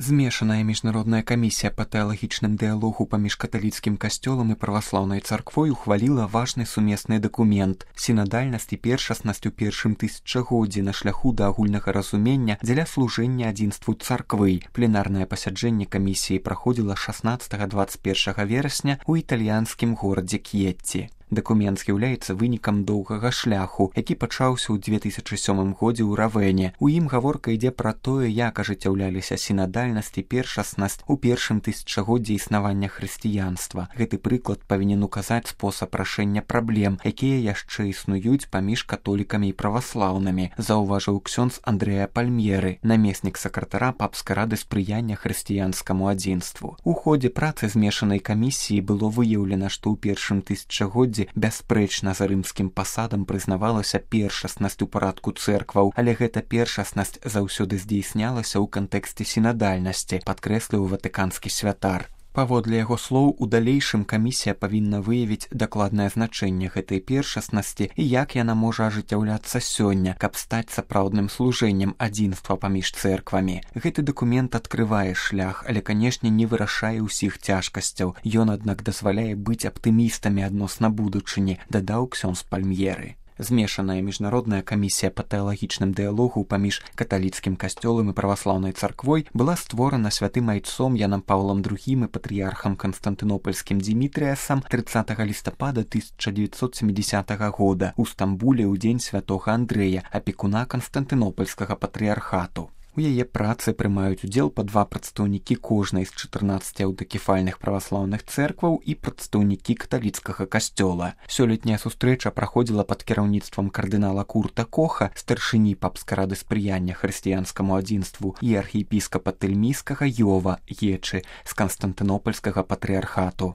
Змешаная міжнародная камісія па тэалагічным дыялогу паміж каталіцкім касцёлам і праваслаўнай царквой ухваліла важны сумесны дакумент сінадальнасць і першаснасць у першым тысячагоддзі на шляху да агульнага разумення дзеля служэння адзінству царквы. Пленарнае пасяджэнне камісіі праходзіла 16-21 верасня ў італьянскім горадзе К'етці. Дакумент з'яўляецца вынікам доўгага шляху, які пачаўся ў 2007 годзе ў Равене. У ім гаворка ідзе пра тое, як ажыццяўляліся сінадальнасць і першаснасць у першым тысячагоддзі існавання хрысціянства. Гэты прыклад павінен указаць спосаб рашэння праблем, якія яшчэ існуюць паміж католікамі і праваслаўнымі, заўважыў ксёндз Андрэа Пальмьеры, намеснік сакратара папскай рады спрыяння хрысціянскаму адзінству. У ходзе працы змешанай камісіі было выяўлена, што ў першым тысячагоддзі бясспрэчна за рымскім пасадам прызнавалася першаснасць у парадку цэркваў, але гэта першаснасць заўсёды здзейснялася ў кантэксце сінадальнасці, падкрэсліў ватыканскі святар. Паводле яго слоў, у далейшым камісія павінна выявіць дакладнае значэнне гэтай першаснасці і як яна можа ажыццяўляцца сёння, каб стаць сапраўдным служэннем адзінства паміж цэрквамі. Гэты дакумент адкрывае шлях, але, канешне, не вырашае ўсіх цяжкасцяў. Ён, аднак, дазваляе быць аптымістамі адносна будучыні, дадаў ксёндз Пальмьеры. Змешаная міжнародная камісія па тэалагічным дыялогу паміж каталіцкім касцёлам і праваслаўнай царквой была створана святым айцом Янам Паўлам II і патрыярхам канстантынопальскім Дзімітрыясам 30 лістапада 1970 года ў Стамбуле ў дзень святога Андрэя, апекуна канстантынопальскага патрыярхату. У яе працы прымаюць удзел па 2 прадстаўнікі кожнай з 14 аўтакефальных праваслаўных цэркваў і прадстаўнікі каталіцкага касцёла. Сёлетняя сустрэча праходзіла пад кіраўніцтвам кардынала Курта Коха, старшыні папскай рады спрыяння хрысціянскаму адзінству і архіепіскапа Тэльмійскага Йова Ечы з канстантынопальскага патрыярхату.